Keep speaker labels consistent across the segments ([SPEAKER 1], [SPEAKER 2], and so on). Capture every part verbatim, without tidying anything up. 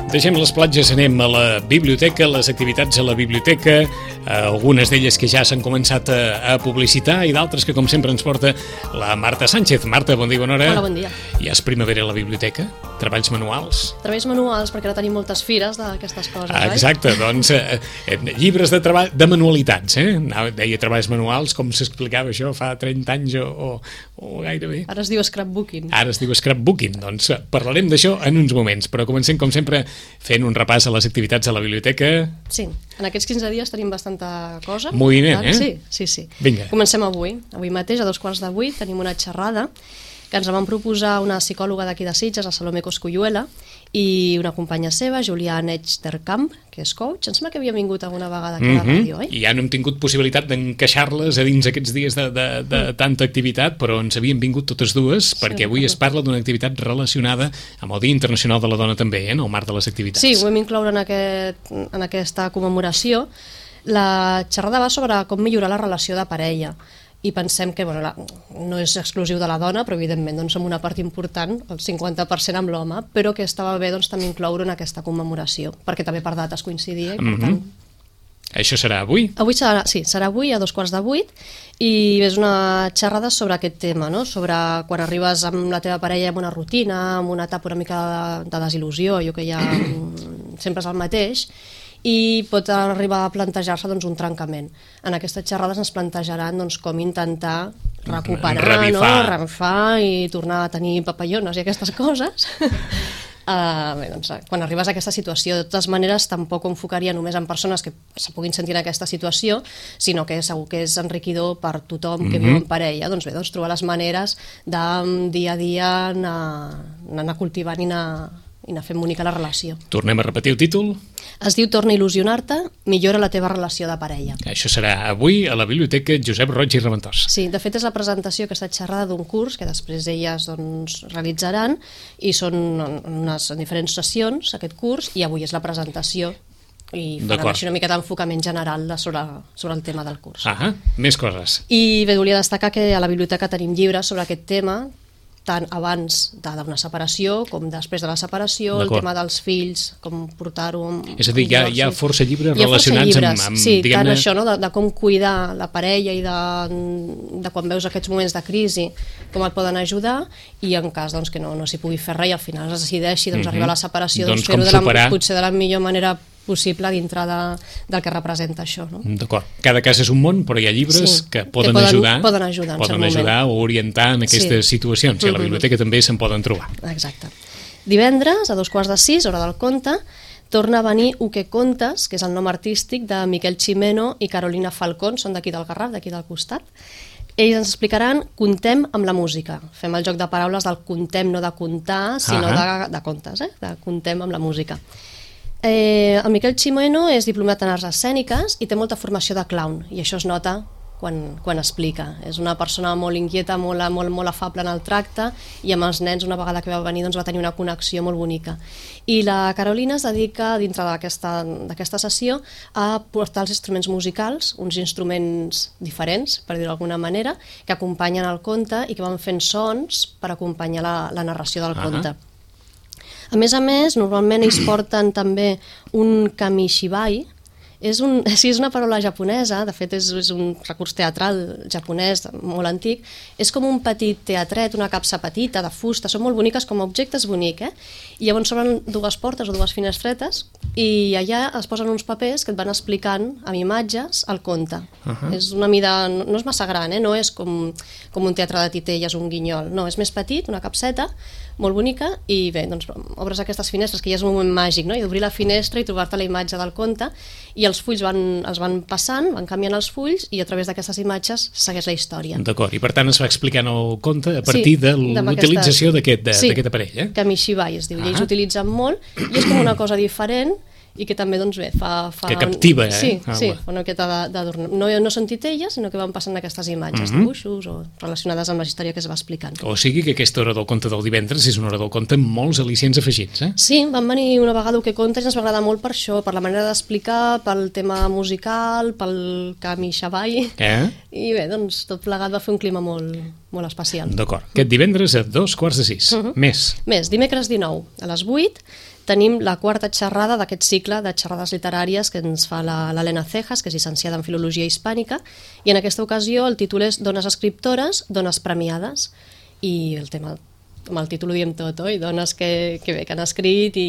[SPEAKER 1] Deixem les platges, anem a la biblioteca, les activitats a la biblioteca, algunes d'elles que ja s'han començat a, a publicitar i d'altres que, com sempre, ens porta la Marta Sánchez. Marta, bon dia, bona hora.
[SPEAKER 2] Hola, bon dia.
[SPEAKER 1] Ja és primavera a la biblioteca? Treballs manuals?
[SPEAKER 2] Treballs manuals, perquè ara tenim moltes fires d'aquestes coses,
[SPEAKER 1] ah, exacte, oi? Doncs eh, eh, llibres de treball, de manualitats, eh? Deia treballs manuals, com s'explicava això fa trenta anys o, o, o gairebé.
[SPEAKER 2] Ara es diu scrapbooking.
[SPEAKER 1] Ara es diu scrapbooking, doncs parlarem d'això en uns moments, però comencem, com sempre, fent un repàs a les activitats a la biblioteca.
[SPEAKER 2] Sí, en aquests quinze dies tenim bastanta cosa.
[SPEAKER 1] Moviment, eh?
[SPEAKER 2] Sí, sí, sí.
[SPEAKER 1] Vinga.
[SPEAKER 2] Comencem avui. Avui mateix, a dos quarts de vuit, tenim una xerrada que ens la van proposar una psicòloga d'aquí de Sitges, la Salomé Cosculluela, i una companya seva, Julián Echterkamp, que és coach. Em sembla que havia vingut alguna vegada aquí a la
[SPEAKER 1] mm-hmm.
[SPEAKER 2] ràdio, oi?
[SPEAKER 1] I ja no hem tingut possibilitat d'encaixar-les a dins aquests dies de, de, de mm. tanta activitat, però ens havien vingut totes dues, sí, perquè avui es parla d'una activitat relacionada amb el Dia Internacional de la Dona també, eh, en el marc de les activitats.
[SPEAKER 2] Sí, ho hem incloure en, aquest, en aquesta commemoració. La xerrada va sobre com millorar la relació de parella, i pensem que bueno, la, no és exclusiu de la dona, però evidentment doncs, som una part important, el cinquanta per cent amb l'home, però que estava bé doncs, també incloure en aquesta commemoració, perquè també per dates coincidia. I, per
[SPEAKER 1] mm-hmm.
[SPEAKER 2] tant...
[SPEAKER 1] Això serà avui?
[SPEAKER 2] Avui serà, sí, serà avui a dos quarts de vuit, i és una xerrada sobre aquest tema, no? Sobre quan arribes amb la teva parella en una rutina, en una etapa una mica de, de desil·lusió, allò que ja sempre és el mateix, i pot arribar a plantejar-se doncs, un trencament. En aquestes xerrades ens plantejaran doncs, com intentar recuperar,
[SPEAKER 1] revifar.
[SPEAKER 2] no? revifar i tornar a tenir papallones i aquestes coses. uh, bé, doncs, quan arribes a aquesta situació, de totes maneres, tampoc ho enfocaria només en persones que se puguin sentir en aquesta situació, sinó que segur que és enriquidor per tothom que mm-hmm. viu en parella. Doncs bé, doncs, trobar les maneres de dia a dia anar, anar cultivant i anar, i anar fent bonica la relació.
[SPEAKER 1] Tornem a repetir el títol?
[SPEAKER 2] Es diu Torna a il·lusionar-te, millora la teva relació de parella.
[SPEAKER 1] Això serà avui a la Biblioteca Josep Roig i Raventós.
[SPEAKER 2] Sí, de fet és la presentació, aquesta xerrada d'un curs que després elles doncs, realitzaran, i són unes diferents sessions aquest curs, i avui és la presentació i faran així una mica d'enfocament general de sobre, sobre el tema del curs.
[SPEAKER 1] Ah, més coses.
[SPEAKER 2] I bé, volia destacar que a la biblioteca tenim llibres sobre aquest tema, tant abans d'una separació com després de la separació, el tema dels fills, com portar-ho...
[SPEAKER 1] És a dir, hi ha, hi ha força llibres
[SPEAKER 2] hi ha
[SPEAKER 1] relacionats
[SPEAKER 2] força llibres,
[SPEAKER 1] amb... amb
[SPEAKER 2] sí,
[SPEAKER 1] diguem-ne...
[SPEAKER 2] tant això, no? de, de com cuidar la parella i de, de quan veus aquests moments de crisi, com et poden ajudar, i en cas doncs, que no, no s'hi pugui fer res i al final es decideixi doncs, mm-hmm. arribar a la separació, doncs, doncs, fer-ho de la, potser de la millor manera possible dintre de, del que representa això. No?
[SPEAKER 1] D'acord. Cada cas és un món, però hi ha llibres sí, que poden,
[SPEAKER 2] que poden
[SPEAKER 1] ajudar,
[SPEAKER 2] poden ajudar,
[SPEAKER 1] poden ajudar o orientar en aquestes sí. situacions. I a la biblioteca mm-hmm. també se'n poden trobar.
[SPEAKER 2] Exacte. Divendres, a dos quarts de sis, hora del conte, torna a venir U que contes, que és el nom artístic de Miquel Ximeno i Carolina Falcón, són d'aquí del Garraf, d'aquí del costat. Ells ens explicaran Contem amb la música. Fem el joc de paraules del contem, no de contar, sinó ah de, de contes, eh? de contem amb la música. Eh, el Miquel Ximeno és diplomat en arts escèniques i té molta formació de clown, i això es nota quan, quan explica. És una persona molt inquieta, molt, molt, molt afable en el tracte, i amb els nens, una vegada que va venir, doncs, va tenir una connexió molt bonica. I la Carolina es dedica, dintre d'aquesta sessió, a portar els instruments musicals, uns instruments diferents, per dir-ho d'alguna manera, que acompanyen el conte i que van fent sons per acompanyar la, la narració del conte. Uh-huh. A més a més, normalment ells porten també un kamishibai. És, un, sí, és una paraula japonesa, de fet és, és un recurs teatral japonès molt antic. És com un petit teatret, una capsa petita de fusta, són molt boniques com a objectes bonic, eh? I llavors s'obren dues portes o dues finestretes i allà es posen uns papers que et van explicant amb imatges el conte. Uh-huh. És una mida, no, no és massa gran, eh? No és com, com un teatre de titelles, un guinyol, no, és més petit, una capseta molt bonica, i bé, doncs obres aquestes finestres, que ja és un moment màgic, no? I d'obrir la finestra i trobar-te la imatge del conte, i els fulls van, els van passant, van canviant els fulls, i a través d'aquestes imatges segueix la història.
[SPEAKER 1] D'acord, i per tant es va explicant el conte a partir sí, de l'utilització d'aquest
[SPEAKER 2] sí,
[SPEAKER 1] aparell, eh?
[SPEAKER 2] Kamishibai es diu, ah. i ells utilitzen molt, i és com una cosa diferent, i que també, doncs bé, fa... fa
[SPEAKER 1] que captiva, eh?
[SPEAKER 2] Sí,
[SPEAKER 1] ah,
[SPEAKER 2] sí, una miqueta d'adornar. No, no són titelles, sinó que van passant aquestes imatges, mm-hmm. dibuixos o relacionades amb la història que es va explicant.
[SPEAKER 1] O sigui que aquesta hora del conte del divendres és una hora del conte amb molts al·licients afegits, eh?
[SPEAKER 2] Sí, van venir una vegada que contes i ens va agradar molt per això, per la manera d'explicar, pel tema musical, pel kamishibai, eh? I bé, doncs tot plegat va fer un clima molt, molt especial.
[SPEAKER 1] D'acord. Aquest divendres a dos quarts de sis. Uh-huh. Més.
[SPEAKER 2] Més, dimecres dinou, a les vuit, tenim la quarta xerrada d'aquest cicle de xerrades literàries que ens fa l'Helena Cejas, que és llicenciada en Filologia Hispànica, i en aquesta ocasió el títol és Dones escriptores, dones premiades, i el tema, amb el títol ho diem tot, oi? Dones que, que bé, que han escrit i,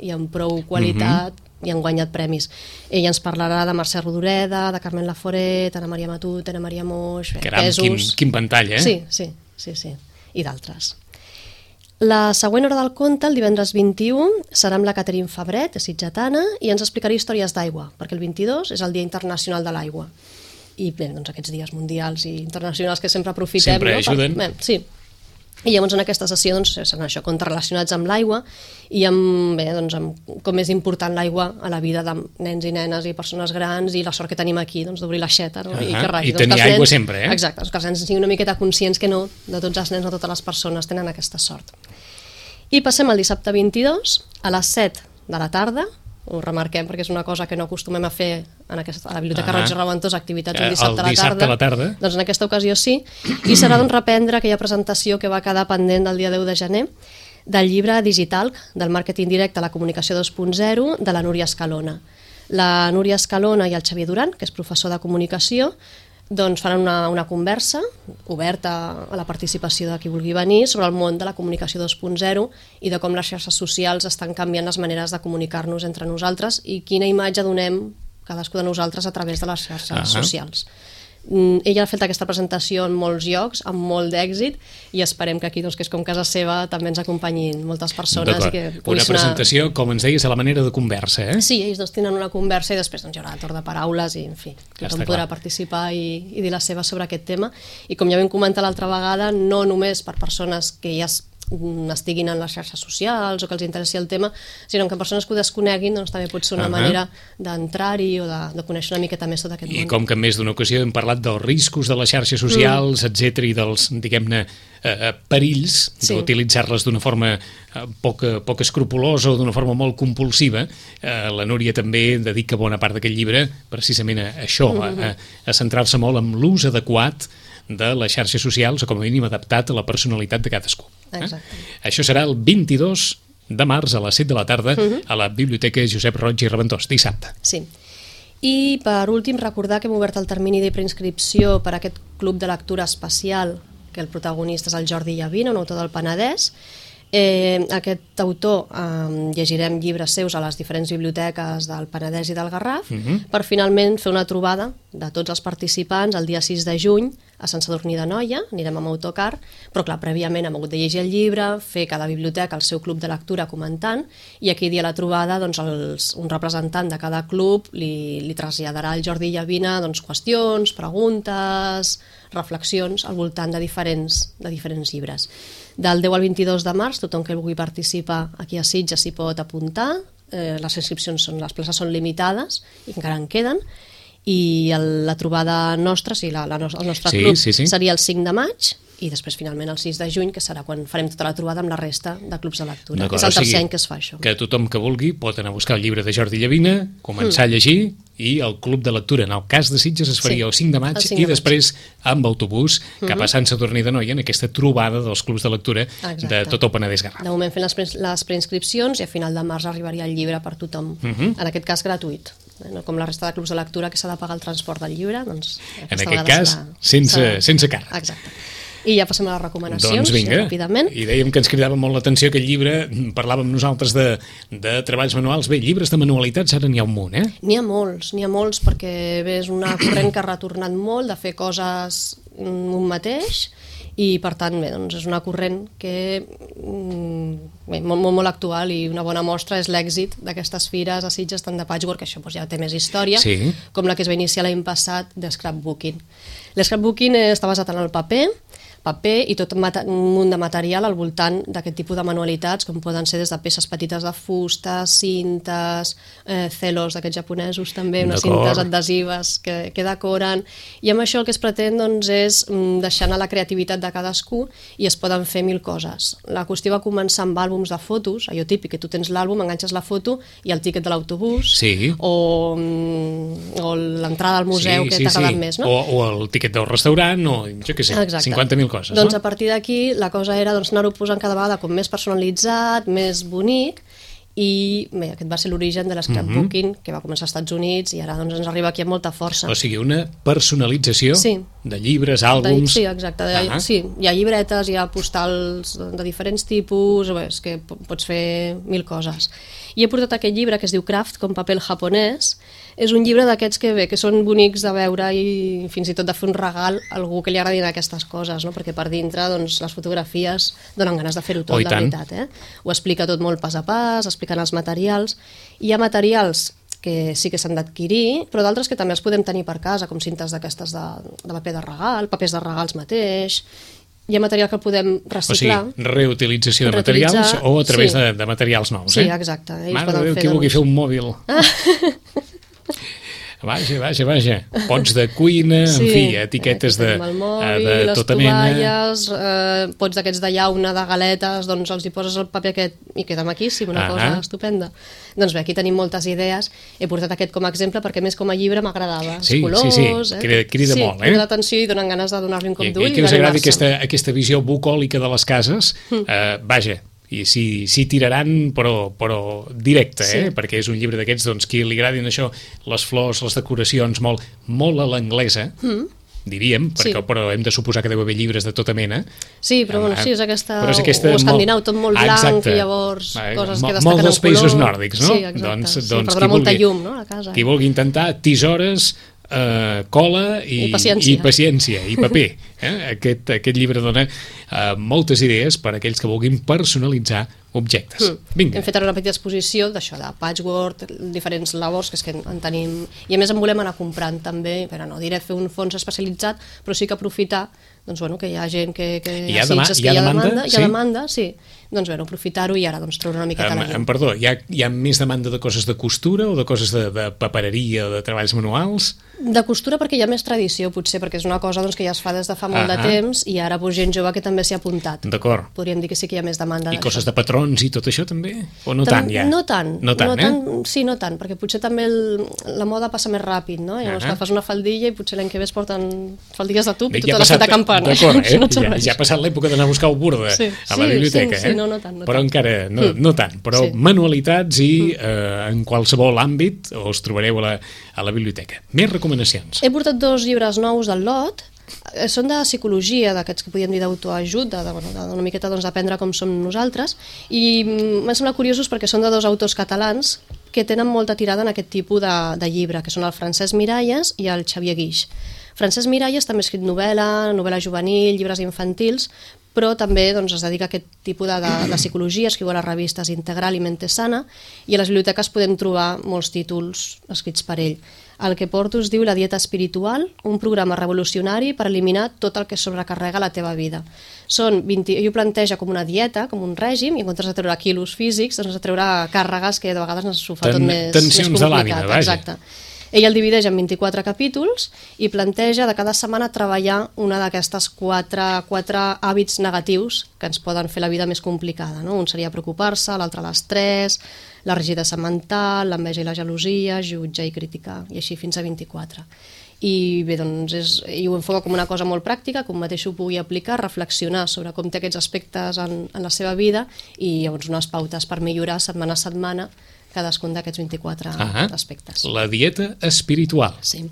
[SPEAKER 2] i amb prou qualitat, mm-hmm. i han guanyat premis. Ella ens parlarà de Mercè Rodoreda, de Carmen Laforet, Ana Maria Matut, Ana Maria Moix,
[SPEAKER 1] Caram, quin, quin pantall, eh?
[SPEAKER 2] Sí, sí, sí, sí, i d'altres. La següent hora del conte, el divendres vint-i-u, serà amb la Caterine Fabret, sitgetana, i ens explicarà històries d'aigua, perquè el vint-i-dos és el Dia Internacional de l'Aigua. I bé, doncs aquests dies mundials i internacionals que sempre aprofitem.
[SPEAKER 1] Sempre
[SPEAKER 2] no?
[SPEAKER 1] ajuden.
[SPEAKER 2] Per, bé, sí. I llavors en aquesta sessió doncs, seran això, contes relacionats amb l'aigua i amb, bé, doncs, amb com és important l'aigua a la vida de nens i nenes i persones grans i la sort que tenim aquí doncs, d'obrir l'aixeta, no?
[SPEAKER 1] Uh-huh.
[SPEAKER 2] I, que rai,
[SPEAKER 1] I
[SPEAKER 2] doncs,
[SPEAKER 1] tenir
[SPEAKER 2] que
[SPEAKER 1] aigua
[SPEAKER 2] nens,
[SPEAKER 1] sempre, eh?
[SPEAKER 2] Exacte, doncs, que els nens siguin una miqueta conscients que no, de tots els nens, no totes les persones tenen aquesta sort. I passem al dissabte vint-i-dos a les set de la tarda. Ho remarquem perquè és una cosa que no acostumem a fer en aquesta, a la Biblioteca Roig i Raventós, activitats un dissabte,
[SPEAKER 1] el dissabte a la tarda.
[SPEAKER 2] Doncs en aquesta ocasió sí, i serà doncs, reprendre aquella presentació que va quedar pendent del dia deu de gener del llibre digital del màrqueting directe a la comunicació dos punt zero de la Núria Escalona. La Núria Escalona i el Xavier Duran, que és professor de comunicació, doncs faran una, una conversa oberta a la participació de qui vulgui venir sobre el món de la comunicació dos punt zero i de com les xarxes socials estan canviant les maneres de comunicar-nos entre nosaltres i quina imatge donem cadascú de nosaltres a través de les xarxes uh-huh. socials. Mm, ella ha fet aquesta presentació en molts llocs, amb molt d'èxit, i esperem que aquí, doncs, que és com casa seva, també ens acompanyin moltes persones. I que
[SPEAKER 1] una presentació, anar... com ens deies, a la manera de conversa, eh?
[SPEAKER 2] Sí, ells dos tenen una conversa i després doncs, hi haurà torn de paraules i, en fi, tothom podrà participar i, i dir la seva sobre aquest tema. I com ja vam comentar l'altra vegada, no només per persones que ja estiguin en les xarxes socials o que els interessi el tema, sinó que persones que ho desconeguin doncs, també pot ser una uh-huh. manera d'entrar-hi o de, de conèixer una miqueta més tot aquest
[SPEAKER 1] I
[SPEAKER 2] món.
[SPEAKER 1] I com que en més d'una ocasió hem parlat dels riscos de les xarxes socials, mm. etcètera, i dels, diguem-ne, eh, perills sí. d'utilitzar-les d'una forma eh, poc, poc escrupulosa o d'una forma molt compulsiva, eh, la Núria també dedica bona part d'aquest llibre precisament a això, mm-hmm. a, a centrar-se molt en l'ús adequat de les xarxes socials, o com a mínim adaptat a la personalitat de cadascú. Eh? Això serà el vint-i-dos de març a les set de la tarda uh-huh. a la Biblioteca Josep Roig i Raventós, dissabte.
[SPEAKER 2] Sí. I per últim recordar que hem obert el termini de preinscripció per a aquest club de lectura especial, que el protagonista és el Jordi Llavina, un autor del Penedès. Eh, aquest autor eh, llegirem llibres seus a les diferents biblioteques del Penedès i del Garraf uh-huh. per finalment fer una trobada de tots els participants el dia sis de juny a Sant Sadurní d'Anoia, anirem amb autocar, però clar, prèviament hem hagut de llegir el llibre, fer cada biblioteca el seu club de lectura comentant, i aquell dia a la trobada doncs, els, un representant de cada club li, li traslladarà al Jordi Llavina doncs, qüestions, preguntes, reflexions al voltant de diferents, de diferents llibres. Del deu al vint-i-dos de març, tothom que vulgui participar aquí a Sitges s'hi pot apuntar, eh, les inscripcions són, les places són limitades i encara en queden, i el, la trobada nostra, sí, la, la, el nostre
[SPEAKER 1] sí,
[SPEAKER 2] club
[SPEAKER 1] sí, sí.
[SPEAKER 2] seria el cinc de maig i després finalment el sis de juny, que serà quan farem tota la trobada amb la resta de clubs de lectura. És el tercer o sigui, any que es fa això.
[SPEAKER 1] Que tothom que vulgui pot anar a buscar el llibre de Jordi Llavina, començar mm. a llegir, i el club de lectura, en el cas de Sitges, es faria sí, el cinc de maig, cinc de i després amb autobús cap mm-hmm. a Sant Sadurní d'Anoia en aquesta trobada dels clubs de lectura Exacte. De tot el Penedès Garraf.
[SPEAKER 2] De moment fent les, pre les preinscripcions i a final de març arribaria el llibre per tothom, mm-hmm. en aquest cas gratuït. No com la resta de clubs de lectura que s'ha de pagar el transport del llibre, doncs...
[SPEAKER 1] En aquest cas, serà, sense, serà... sense càrrec.
[SPEAKER 2] Exacte. I ja passem a les recomanacions,
[SPEAKER 1] doncs vinga,
[SPEAKER 2] ràpidament.
[SPEAKER 1] I dèiem que ens cridava molt l'atenció aquest llibre, parlàvem nosaltres de, de treballs manuals. Bé, llibres de manualitats ara n'hi ha un munt, eh?
[SPEAKER 2] N'hi ha molts, n'hi ha molts, perquè bé, és una corrent que ha retornat molt de fer coses un mateix, i per tant bé, doncs és una corrent que bé, molt, molt, molt actual, i una bona mostra és l'èxit d'aquestes fires a Sitges, tant de patchwork, que això doncs, ja té més història, sí. com la que es va iniciar l'any passat de scrapbooking. L'scrapbooking està basat en el paper, paper i tot un munt de material al voltant d'aquest tipus de manualitats, com poden ser des de peces petites de fusta, cintes, eh, celos d'aquests japonesos també, unes cintes adhesives que, que decoren, i amb això el que es pretén doncs, és deixar anar la creativitat de cadascú i es poden fer mil coses. La qüestió va començar amb àlbums de fotos, allò típic, que tu tens l'àlbum, enganxes la foto i el tíquet de l'autobús,
[SPEAKER 1] sí.
[SPEAKER 2] o, o l'entrada al museu sí, que
[SPEAKER 1] sí,
[SPEAKER 2] t'ha agradat
[SPEAKER 1] sí.
[SPEAKER 2] més, no?
[SPEAKER 1] O, o el tíquet del restaurant, o jo què sé, Exacte. cinquanta mil coses,
[SPEAKER 2] doncs
[SPEAKER 1] no?
[SPEAKER 2] A partir d'aquí la cosa era doncs, anar-ho posant cada vegada com més personalitzat, més bonic, i bé, aquest va ser l'origen de l'escrapbooking, mm-hmm. que va començar als Estats Units i ara doncs, ens arriba aquí amb molta força.
[SPEAKER 1] O sigui, una personalització
[SPEAKER 2] sí.
[SPEAKER 1] de llibres, àlbums...
[SPEAKER 2] De, sí, exacte. De, uh-huh. Sí, hi ha llibretes, hi ha postals de diferents tipus, bé, és que pots fer mil coses. I he portat aquest llibre que es diu Craft, com paper japonès. És un llibre d'aquests que bé, que són bonics de veure i fins i tot de fer un regal a algú que li agradin aquestes coses, no? Perquè per dintre doncs, les fotografies donen ganes de fer-ho tot, oh, de veritat. Eh? Ho explica tot molt pas a pas, expliquen els materials. Hi ha materials que sí que s'han d'adquirir, però d'altres que també els podem tenir per casa, com cintes d'aquestes de, de paper de regal, papers de regals mateix. Hi ha material que el podem reciclar.
[SPEAKER 1] O sigui, reutilització de materials o a través sí. de, de materials nous.
[SPEAKER 2] Sí,
[SPEAKER 1] eh?
[SPEAKER 2] exacte.
[SPEAKER 1] Mare de Déu, qui vulgui fer un mòbil. Vaja, vaja, vaja. Pots de cuina, sí, en fi, etiquetes de,
[SPEAKER 2] mòbil,
[SPEAKER 1] de tota mena.
[SPEAKER 2] Les tovalles, eh, pots d'aquests de llauna, de galetes, doncs els hi poses el paper aquest i queda maquíssim, una ah cosa estupenda. Doncs bé, aquí tenim moltes idees. He portat aquest com a exemple perquè més com a llibre m'agradava.
[SPEAKER 1] Sí,
[SPEAKER 2] els colors,
[SPEAKER 1] sí, sí,
[SPEAKER 2] eh?
[SPEAKER 1] crida, crida
[SPEAKER 2] sí,
[SPEAKER 1] molt, eh?
[SPEAKER 2] crida l'atenció i donen ganes de donar-li un cop d'ull.
[SPEAKER 1] I, i que us agradi aquesta, aquesta visió bucòlica de les cases, mm. eh, vaja, i si, si tiraran però, però directe, eh? Sí. Perquè és un llibre d'aquests doncs, qui li agradin això, les flors, les decoracions, molt, molt a l'anglesa, mm. diríem, perquè, sí. Però hem de suposar que deu haver llibres de tota mena.
[SPEAKER 2] Sí, però bueno, sí, és aquesta, és aquesta o escandinau, tot molt blanc, exacte. I llavors coses que destaquen en color.
[SPEAKER 1] Molts dels països nòrdics, no?
[SPEAKER 2] Sí, exacte,
[SPEAKER 1] doncs,
[SPEAKER 2] sí,
[SPEAKER 1] doncs,
[SPEAKER 2] per donar molta llum, no?, a casa.
[SPEAKER 1] Qui vulgui intentar tisores, Uh, cola i,
[SPEAKER 2] I, paciència.
[SPEAKER 1] i paciència i paper. Eh? Aquest, aquest llibre dona uh, moltes idees per a aquells que vulguin personalitzar objectes. Mm. Vinga.
[SPEAKER 2] Hem fet ara una petita exposició d'això, de patchwork, diferents labors, que és que en tenim... I a més en volem anar comprant també, però no diré fer un fons especialitzat, però sí que aprofitar doncs, bueno, que hi ha gent que, que
[SPEAKER 1] hi ha, dema hi ha,
[SPEAKER 2] hi ha
[SPEAKER 1] demanda,
[SPEAKER 2] demanda, hi ha demanda, sí. Doncs bueno, aprofitar-ho i ara doncs, treure una miqueta
[SPEAKER 1] um,
[SPEAKER 2] la llum.
[SPEAKER 1] Perdó, hi ha, hi ha més demanda de coses de costura o de coses de, de papereria o de treballs manuals?
[SPEAKER 2] De costura perquè hi ha més tradició, potser, perquè és una cosa doncs, que ja es fa des de fa molt ah de temps i ara pues, gent jove que també s'hi ha apuntat.
[SPEAKER 1] D'acord.
[SPEAKER 2] Podríem dir que sí que hi ha més demanda.
[SPEAKER 1] I coses de patrons i tot això també? O no
[SPEAKER 2] Tam
[SPEAKER 1] tant ja?
[SPEAKER 2] No tant.
[SPEAKER 1] No tant,
[SPEAKER 2] no
[SPEAKER 1] eh?
[SPEAKER 2] tant sí, no tant, perquè potser també el, la moda passa més ràpid, no? Llavors uh -huh. que fas una faldilla i potser l'any que ve es porten faldilles de tub i tota l'estat de campana.
[SPEAKER 1] D'acord, eh? no ja, ja ha passat l'època d'anar a buscar el Burda sí, a la
[SPEAKER 2] sí,
[SPEAKER 1] biblioteca,
[SPEAKER 2] sí,
[SPEAKER 1] eh?
[SPEAKER 2] Sí, no, no tant. No
[SPEAKER 1] però
[SPEAKER 2] tant.
[SPEAKER 1] encara no, mm. no tant, però sí. Manualitats i eh, en qualsevol àmbit us trobareu a la, a la biblioteca. Més recomanacions.
[SPEAKER 2] He portat dos llibres nous del lot, són de psicologia, d'aquests que podríem dir d'autoajut, de, de, de, una miqueta doncs, d'aprendre com som nosaltres, i m'han semblat curiosos perquè són de dos autors catalans que tenen molta tirada en aquest tipus de, de llibre, que són el Francesc Miralles i el Xavier Guix. Francesc Miralles també ha escrit novel·la, novel·la juvenil, llibres infantils, però també doncs, es dedica a aquest tipus de, de, de psicologia, escriu a les revistes Integral i Mente Sana, i a les biblioteques podem trobar molts títols escrits per ell. El que porto es diu La dieta espiritual, un programa revolucionari per eliminar tot el que sobrecarrega la teva vida. Són vint... Ell ho planteja com una dieta, com un règim, i en comptes de treure quilos físics, doncs de treure càrregues que de vegades ens ho fa tot més,
[SPEAKER 1] tensions
[SPEAKER 2] més complicat.
[SPEAKER 1] De l'ànima, vaja.
[SPEAKER 2] Exacte. Ell el divideix en vint-i-quatre capítols i planteja de cada setmana treballar una d'aquestes quatre, quatre hàbits negatius que ens poden fer la vida més complicada. No? Un seria preocupar-se, l'altre l'estrès, la rigidesa mental, l'enveja i la gelosia, jutjar i criticar, i així fins a vint-i-quatre. I bé, doncs, és, i ho enfoca com una cosa molt pràctica, com mateix ho pugui aplicar, reflexionar sobre com té aquests aspectes en, en la seva vida i llavors unes pautes per millorar setmana a setmana cadascun d'aquests vint-i-quatre ah, aspectes.
[SPEAKER 1] La dieta espiritual.
[SPEAKER 2] Sí.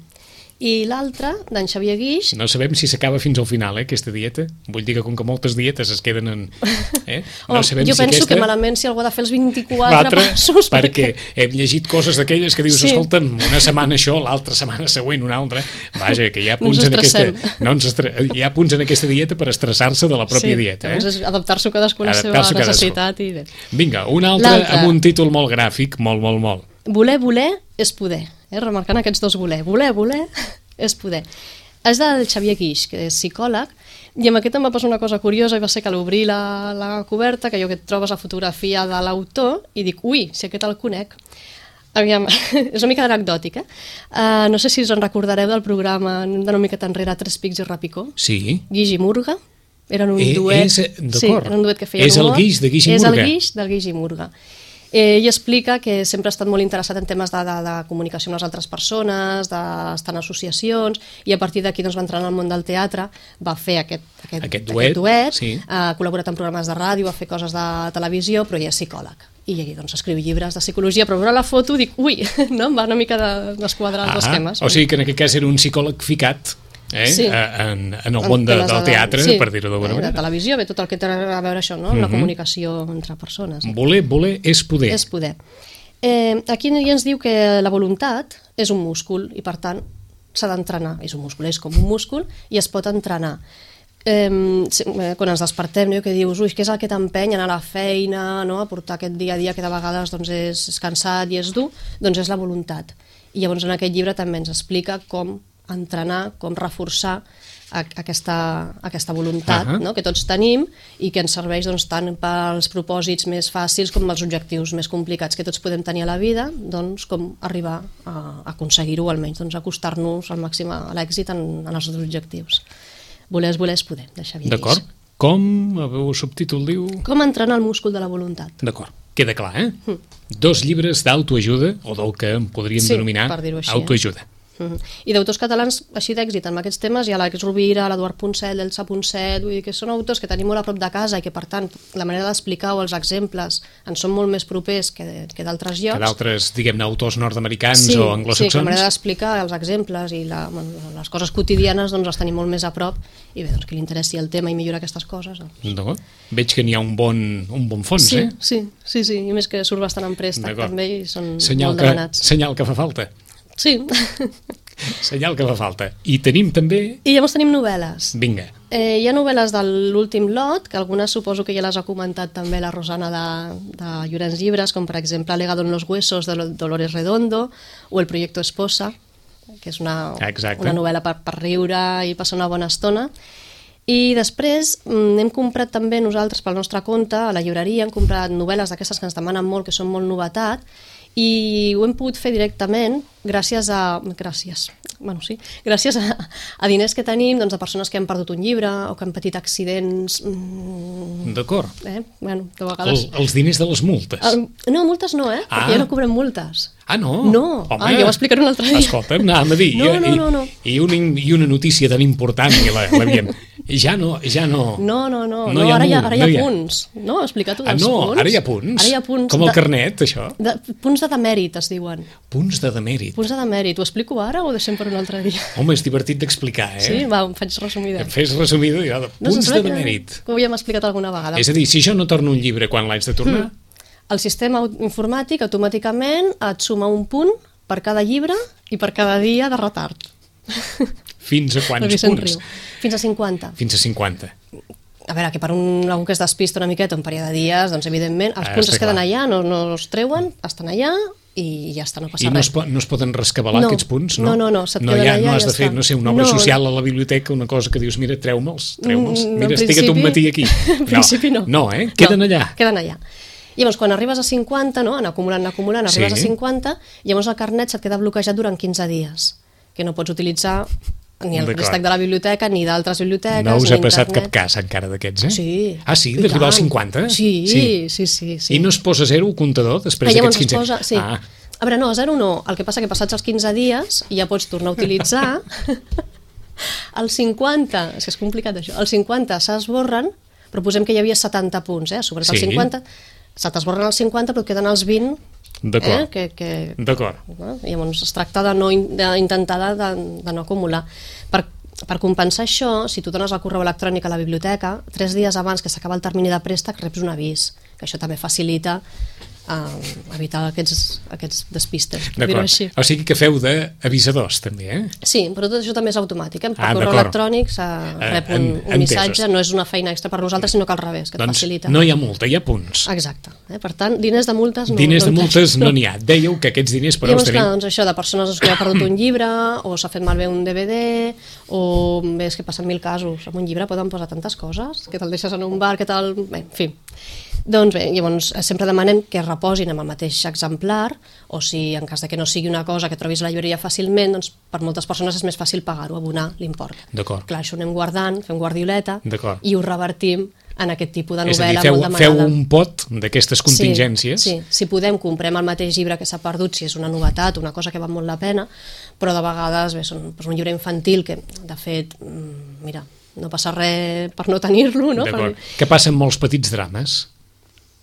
[SPEAKER 2] I l'altre, d'en Xavier Guix...
[SPEAKER 1] No sabem si s'acaba fins al final, eh, aquesta dieta. Vull dir que com que moltes dietes es queden en... Eh? No
[SPEAKER 2] oh,
[SPEAKER 1] sabem
[SPEAKER 2] jo
[SPEAKER 1] si
[SPEAKER 2] penso
[SPEAKER 1] aquesta...
[SPEAKER 2] que malament si algú ha de fer els vint-i-quatre passos...
[SPEAKER 1] Perquè hem llegit coses d'aquelles que dius, sí. Escolta'm, una setmana això, l'altra setmana següent una altra... Vaja, que hi ha punts,
[SPEAKER 2] no
[SPEAKER 1] en, aquesta... no ens estre... hi ha punts en aquesta dieta per estressar-se de la pròpia
[SPEAKER 2] sí,
[SPEAKER 1] dieta. Eh?
[SPEAKER 2] Doncs adaptar-s'ho cadascú a la seva necessitat i bé.
[SPEAKER 1] Vinga, un altre amb un títol molt gràfic, molt, molt, molt.
[SPEAKER 2] Voler, voler és poder. Eh? Remarcant aquests dos voler. Voler, voler... és poder. És del Xavier Guix, que és psicòleg, i amb aquest em va passar una cosa curiosa i va ser que a l'obrir la, la coberta, que jo que et trobes la fotografia de l'autor, i dic, ui, si aquest el conec. Aviam, és una mica anecdòtic, eh? Uh, no sé si us en recordareu del programa d'una miqueta enrere, Tres pics i repicó.
[SPEAKER 1] Sí.
[SPEAKER 2] Guix i Murga. Eren un
[SPEAKER 1] eh,
[SPEAKER 2] duet.
[SPEAKER 1] És,
[SPEAKER 2] sí, era un duet que feia
[SPEAKER 1] és
[SPEAKER 2] humor.
[SPEAKER 1] El Guix de Guix i Murga.
[SPEAKER 2] És el Guix del Guix i Murga. Eh, ell explica que sempre ha estat molt interessat en temes de, de, de comunicació amb les altres persones, d'estar en associacions, i a partir d'aquí doncs, va entrar en el món del teatre, va fer aquest, aquest,
[SPEAKER 1] aquest duet,
[SPEAKER 2] aquest duet
[SPEAKER 1] sí.
[SPEAKER 2] Ha col·laborat en programes de ràdio, va fer coses de televisió, però ell és psicòleg. i doncs escriu llibres de psicologia, però veure la foto dic, ui, no? Em va una mica de, desquadrar els esquemes.
[SPEAKER 1] O sigui que en aquest cas era un psicòleg ficat eh? sí. en, en el món de, del teatre, sí. per dir-ho d'alguna manera.
[SPEAKER 2] De televisió, bé, tot el que té a veure això, no? Uh -huh. La comunicació entre persones.
[SPEAKER 1] Voler, voler és poder.
[SPEAKER 2] És poder. Eh, aquí ja ens diu que la voluntat és un múscul i per tant s'ha d'entrenar. És un múscul, és com un múscul i es pot entrenar. Eh, quan ens despertem, no? Que dius, ui, què és el que t'empeny a anar a la feina, no? A portar aquest dia a dia que de vegades doncs, és, és cansat i és dur, doncs és la voluntat. I llavors en aquest llibre també ens explica com entrenar, com reforçar a, aquesta, aquesta voluntat uh -huh. no? que tots tenim i que ens serveix doncs, tant pels propòsits més fàcils com els objectius més complicats que tots podem tenir a la vida, doncs com arribar a, a aconseguir-ho, almenys doncs, acostar-nos al màxim a l'èxit en, en els nostres objectius. Voler és voler és poder, de Xavier Guix.
[SPEAKER 1] D'acord. Com, el subtítol diu...
[SPEAKER 2] Com entrenar el múscul de la voluntat.
[SPEAKER 1] D'acord. Queda clar, eh? Mm. Dos llibres d'autoajuda, o del que en podríem
[SPEAKER 2] sí,
[SPEAKER 1] denominar
[SPEAKER 2] així,
[SPEAKER 1] autoajuda.
[SPEAKER 2] Eh? Mm-hmm. I d'autors catalans així d'èxit en aquests temes hi ha l'Àlex Rovira, l'Eduard Poncet, l'Elsa Poncet, vull dir que són autors que tenim molt a prop de casa i que per tant la manera d'explicar o els exemples ens són molt més propers que, que d'altres llocs.
[SPEAKER 1] Que d'altres, diguem-ne, autors nord-americans
[SPEAKER 2] sí,
[SPEAKER 1] o anglosaxons.
[SPEAKER 2] Sí, que la manera d'explicar els exemples i la, bueno, les coses quotidianes doncs les tenim molt més a prop i bé, doncs que li interessi el tema i millorar aquestes coses. Doncs.
[SPEAKER 1] D'acord. Veig que n'hi ha un bon, un bon fons,
[SPEAKER 2] sí,
[SPEAKER 1] eh?
[SPEAKER 2] Sí, sí, sí, i més que surt bastant en préstec també i són
[SPEAKER 1] senyal
[SPEAKER 2] molt
[SPEAKER 1] que,
[SPEAKER 2] demanats.
[SPEAKER 1] Senyal que fa falta.
[SPEAKER 2] Sí.
[SPEAKER 1] Senyal que fa falta. I tenim també...
[SPEAKER 2] I llavors tenim novel·les.
[SPEAKER 1] Vinga.
[SPEAKER 2] Eh, hi ha novel·les de l'últim lot, que algunes suposo que ja les ha comentat també la Rosana de, de Llorenç Llibres, com per exemple Legado en los huesos de Dolores Redondo o El proyecto Esposa, que és una, una novel·la per, per riure i passar una bona estona. I després hem comprat també nosaltres pel nostre compte, a la llibreria, hem comprat novel·les d'aquestes que ens demanen molt, que són molt novetat, i ho hem pogut fer directament gràcies a... gràcies, bueno, sí, gràcies a, a diners que tenim doncs, de persones que han perdut un llibre o que han patit accidents...
[SPEAKER 1] Mm, d'acord.
[SPEAKER 2] Eh? Bueno, de vegades...
[SPEAKER 1] El, els diners de les multes.
[SPEAKER 2] El, no, multes no, eh?
[SPEAKER 1] Ah.
[SPEAKER 2] Perquè ja no cobrem multes.
[SPEAKER 1] Ah, no?
[SPEAKER 2] No,
[SPEAKER 1] home,
[SPEAKER 2] ah, ja ho explicaré un altre dia.
[SPEAKER 1] Escolta'm, anàvem a dir.
[SPEAKER 2] No, no, no, no.
[SPEAKER 1] I, i, una, I una notícia tan important que l'havíem... Ja no, ja no...
[SPEAKER 2] No, no, no, no, no ara, hi ha, ara hi ha, no hi ha punts. No, explica-t'ho dels
[SPEAKER 1] ah, no,
[SPEAKER 2] punts.
[SPEAKER 1] Ara hi ha punts?
[SPEAKER 2] Ara hi ha punts.
[SPEAKER 1] Com el
[SPEAKER 2] de,
[SPEAKER 1] carnet, això?
[SPEAKER 2] De, punts de demèrit, es diuen.
[SPEAKER 1] Punts de demèrit.
[SPEAKER 2] Punts de demèrit. Ho explico ara o ho deixem per un altre dia?
[SPEAKER 1] Home, és divertit d'explicar, eh?
[SPEAKER 2] Sí, va, em faig resumida.
[SPEAKER 1] Em fes resumida, ja, de punts no, de demèrit.
[SPEAKER 2] Que ho havíem explicat alguna vegada.
[SPEAKER 1] És a dir, si jo no torno un llibre quan l'haig de tornar... Mm.
[SPEAKER 2] El sistema informàtic automàticament et suma un punt per cada llibre i per cada dia de retard.
[SPEAKER 1] Fins a quants punts?
[SPEAKER 2] Fins a cinquanta.
[SPEAKER 1] Fins a cinquanta.
[SPEAKER 2] A veure, que per un, algú que es despista una miqueta un període de dies, doncs evidentment els ah, punts es queden clar. allà, no, no els treuen, estan allà i ja està, no passa
[SPEAKER 1] I no
[SPEAKER 2] res.
[SPEAKER 1] I no, no es poden rescabalar
[SPEAKER 2] no,
[SPEAKER 1] aquests punts?
[SPEAKER 2] No, no, no, se't
[SPEAKER 1] no,
[SPEAKER 2] queden
[SPEAKER 1] ja,
[SPEAKER 2] allà
[SPEAKER 1] no has
[SPEAKER 2] i
[SPEAKER 1] de
[SPEAKER 2] ja
[SPEAKER 1] fer,
[SPEAKER 2] està.
[SPEAKER 1] no sé, una obra
[SPEAKER 2] no,
[SPEAKER 1] social a la biblioteca, una cosa que dius, mira, treu-me'ls, treu-me'ls,
[SPEAKER 2] mm,
[SPEAKER 1] mira, estic un matí aquí.
[SPEAKER 2] En principi no.
[SPEAKER 1] No, eh? Queden
[SPEAKER 2] no,
[SPEAKER 1] allà.
[SPEAKER 2] Queden allà. Llavors, quan arribes a cinquanta, no? Anar acumulant, anar acumulant, arribes sí. a cinquanta, llavors el carnet se't queda bloquejat durant quinze dies, que no pots utilitzar ni el préstec de la biblioteca, ni d'altres biblioteques,
[SPEAKER 1] no us ha passat
[SPEAKER 2] internet.
[SPEAKER 1] cap cas encara d'aquests, eh?
[SPEAKER 2] Sí.
[SPEAKER 1] Ah, sí? D'arribar als cinquanta?
[SPEAKER 2] Sí, sí, sí, sí, sí.
[SPEAKER 1] I no es posa zero el comptador després d'aquests quinze?
[SPEAKER 2] Posa, sí. Ah. A veure, no, zero no. El que passa que passats els quinze dies ja pots tornar a utilitzar. El cinquanta, és que és complicat això, el cinquanta s'esborren, però posem que hi havia setanta punts, eh? Sobre sí. el cinquanta, se t'esborren els cinquanta però et queden els vint.
[SPEAKER 1] D'acord.
[SPEAKER 2] Eh? Que, que,
[SPEAKER 1] D'acord.
[SPEAKER 2] No? Llavors es tracta de no, d'intentar de, de no acumular. Per, per compensar això, si tu dones el correu electrònic a la biblioteca, tres dies abans que s'acaba el termini de préstec reps un avís, que això també facilita uh, evitar aquests, aquests despistes, per dir-ho així.
[SPEAKER 1] O sigui que feu d'avisadors també, eh?
[SPEAKER 2] Sí, però tot això també és automàtic, eh? Per ah, correu electrònic se rep un, un missatge, no és una feina extra per nosaltres, sinó que al revés, que et
[SPEAKER 1] doncs
[SPEAKER 2] facilita.
[SPEAKER 1] No hi ha multa, hi ha punts.
[SPEAKER 2] Exacte. Eh? Per tant, diners de multes no
[SPEAKER 1] Diners de
[SPEAKER 2] no
[SPEAKER 1] multes no n'hi ha. Dèieu que aquests diners per
[SPEAKER 2] us
[SPEAKER 1] tenim...
[SPEAKER 2] Clar, doncs això, de persones que ha perdut un llibre, o s'ha fet malbé un D V D, o bé, és que passen mil casos. En un llibre poden posar tantes coses, que te'l deixes en un bar, que tal... Bé, en fi. Doncs bé, llavors sempre demanem que reposin amb el mateix exemplar, o si en cas de que no sigui una cosa que trobis a la llibreria fàcilment, doncs per moltes persones és més fàcil pagar-ho, abonar l'import.
[SPEAKER 1] D'acord.
[SPEAKER 2] Clar, això ho anem guardant, fem guardioleta,
[SPEAKER 1] i
[SPEAKER 2] ho revertim en aquest tipus de novel·la.
[SPEAKER 1] És a dir, feu, feu un pot d'aquestes contingències.
[SPEAKER 2] Sí, sí, si podem comprem el mateix llibre que s'ha perdut, si és una novetat, una cosa que val molt la pena, però de vegades bé, són doncs, un llibre infantil que, de fet, mira, no passa res per no tenir-lo, no?
[SPEAKER 1] D'acord.
[SPEAKER 2] Per...
[SPEAKER 1] Què passa amb molts petits drames?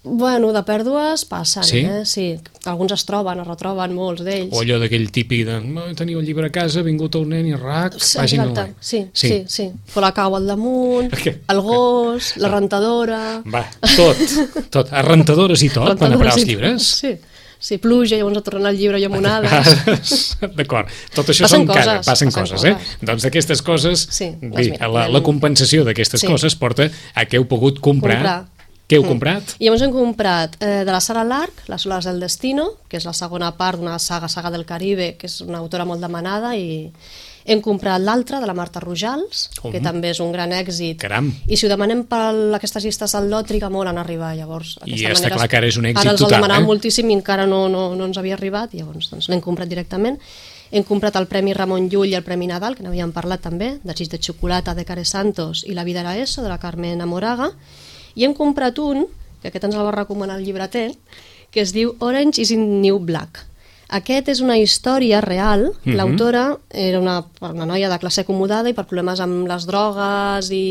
[SPEAKER 2] Bueno, de pèrdues passen,
[SPEAKER 1] sí?
[SPEAKER 2] eh? Sí. Alguns es troben, es retroben, molts d'ells.
[SPEAKER 1] O allò d'aquell típic de teniu el llibre a casa, ha vingut el nen i rac,
[SPEAKER 2] sí,
[SPEAKER 1] pàgina
[SPEAKER 2] exacte. Sí,
[SPEAKER 1] sí,
[SPEAKER 2] sí, sí. Però la cau al damunt, el gos, la rentadora...
[SPEAKER 1] Va, tot, tot. A rentadores i tot, van a parar els llibres?
[SPEAKER 2] Sí, sí, pluja, llavors a tornar el llibre llamonades.
[SPEAKER 1] D'acord, tot això
[SPEAKER 2] passen
[SPEAKER 1] són
[SPEAKER 2] coses,
[SPEAKER 1] cares, passen, passen coses, coses, eh? Doncs d'aquestes coses,
[SPEAKER 2] sí,
[SPEAKER 1] bé, la, la compensació d'aquestes
[SPEAKER 2] sí.
[SPEAKER 1] coses porta a que heu pogut comprar... comprar. Què heu mm. comprat?
[SPEAKER 2] I llavors hem comprat eh, de la Sara Lark, Las olas del destino, que és la segona part d'una saga, saga del Caribe, que és una autora molt demanada, i hem comprat l'altra, de la Marta Rojals, oh. que també és un gran èxit.
[SPEAKER 1] Caram!
[SPEAKER 2] I si ho demanem per aquestes llistes al lot, triga molt en arribar, llavors.
[SPEAKER 1] I està clar que ara és un èxit
[SPEAKER 2] total, eh? Ara els
[SPEAKER 1] el
[SPEAKER 2] demanàvem
[SPEAKER 1] eh?
[SPEAKER 2] moltíssim i encara no, no, no ens havia arribat, i llavors doncs, l'hem comprat directament. Hem comprat el Premi Ramon Llull i el Premi Nadal, que n'havíem parlat també, Desig de xocolata, de Care Santos, i La vida era eso, de la Carmen Amoraga, i hem comprat un, que aquest ens el va recomanar el llibreter, que es diu Orange is in New Black. Aquest és una història real. Mm-hmm. L'autora era una, una noia de classe acomodada i per problemes amb les drogues i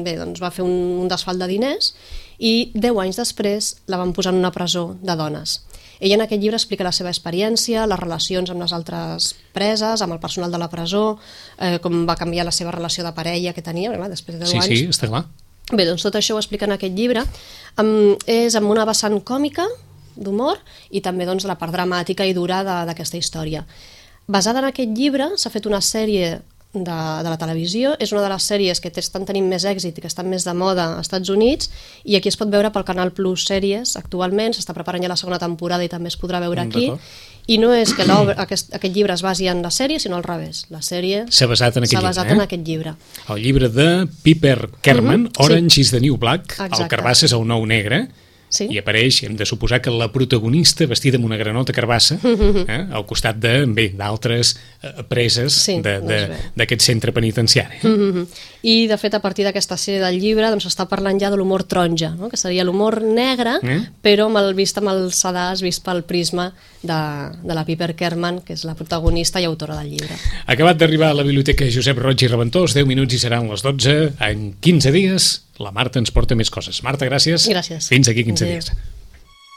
[SPEAKER 2] bé, doncs va fer un, un desfalt de diners i deu anys després la van posar en una presó de dones. Ella en aquest llibre explica la seva experiència, les relacions amb les altres preses, amb el personal de la presó, eh, com va canviar la seva relació de parella que tenia, clar, després de deu
[SPEAKER 1] sí,
[SPEAKER 2] anys.
[SPEAKER 1] Sí, sí, està clar.
[SPEAKER 2] Bé, doncs tot això ho explica en aquest llibre. Um, és amb una vessant còmica, d'humor, i també doncs, la part dramàtica i dura d'aquesta història. Basada en aquest llibre, s'ha fet una sèrie de, de la televisió, és una de les sèries que estan tenint més èxit i que estan més de moda als Estats Units, i aquí es pot veure pel Canal Plus Sèries actualment, s'està preparant ja la segona temporada i també es podrà veure aquí. I no és que aquest, aquest llibre es basi en la sèrie, sinó al revés. La sèrie
[SPEAKER 1] s'ha basat en aquest, llibre,
[SPEAKER 2] basat
[SPEAKER 1] eh?
[SPEAKER 2] en aquest llibre.
[SPEAKER 1] El llibre de Piper Kerman, uh-huh, Orange sí. is the New Black,
[SPEAKER 2] exacte.
[SPEAKER 1] El carbassa és el nou negre, sí. I apareix, hem de suposar que la protagonista vestida amb una granota carbassa, eh, al costat de, bé, d'altres eh, preses sí, d'aquest doncs centre penitenciari. Eh?
[SPEAKER 2] Mm-hmm. I, de fet, a partir d'aquesta sèrie del llibre doncs s'està parlant ja de l'humor taronja, no? Que seria l'humor negre, eh? Però amb el, vist amb el sedàs, vist pel prisma de, de la Piper Kerman, que és la protagonista i autora del llibre.
[SPEAKER 1] Acabat d'arribar a la Biblioteca Josep Roig i Reventós, deu minuts i seran les dotze, en quinze dies la Marta ens porta més coses. Marta, gràcies.
[SPEAKER 2] Gràcies.
[SPEAKER 1] Fins aquí quinze dies.